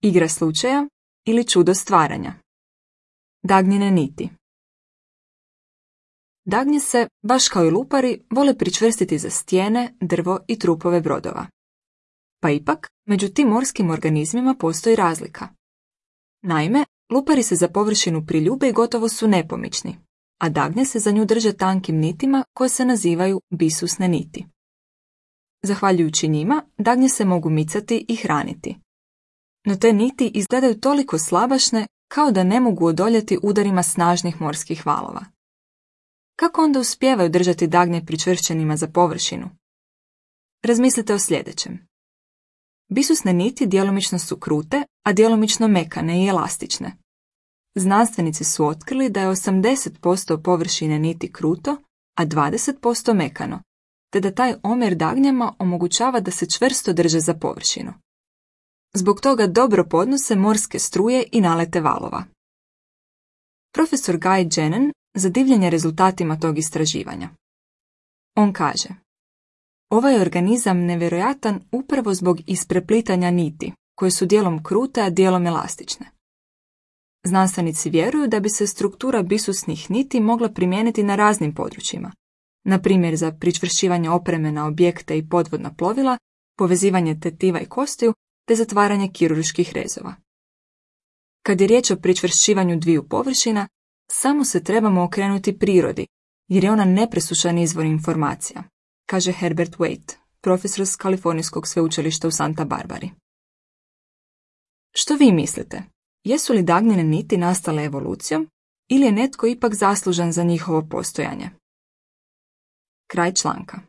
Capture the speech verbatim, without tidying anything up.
Igra slučaja ili čudo stvaranja. Dagnjine niti. Dagnje se, baš kao i lupari, vole pričvrstiti za stijene, drvo i trupove brodova. Pa ipak, među tim morskim organizmima postoji razlika. Naime, lupari se za površinu priljube i gotovo su nepomični, a dagnje se za nju drže tankim nitima koje se nazivaju bisusne niti. Zahvaljujući njima, dagnje se mogu micati i hraniti. No te niti izgledaju toliko slabašne kao da ne mogu odoljeti udarima snažnih morskih valova. Kako onda uspijevaju držati dagnje pričvršćenima za površinu? Razmislite o sljedećem. Bisusne niti djelomično su krute, a djelomično mekane i elastične. Znanstvenici su otkrili da je osamdeset posto površine niti kruto, a dvadeset posto mekano, te da taj omjer dagnjama omogućava da se čvrsto drže za površinu. Zbog toga dobro podnose morske struje i nalete valova. Profesor Guy Jennen zadivljen je rezultatima tog istraživanja. On kaže: ovaj organizam nevjerojatan upravo zbog ispreplitanja niti, koje su dijelom krute, a dijelom elastične. Znanstvenici vjeruju da bi se struktura bisusnih niti mogla primijeniti na raznim područjima, na primjer za pričvršćivanje opreme na objekte i podvodna plovila, povezivanje tetiva i kostiju, te zatvaranje kirurških rezova. Kad je riječ o pričvršćivanju dviju površina, samo se trebamo okrenuti prirodi, jer je ona nepresušan izvor informacija, kaže Herbert Waite, profesor s Kalifornijskog sveučilišta u Santa Barbari. Što vi mislite? Jesu li dagnjine niti nastale evolucijom ili je netko ipak zaslužan za njihovo postojanje? Kraj članka.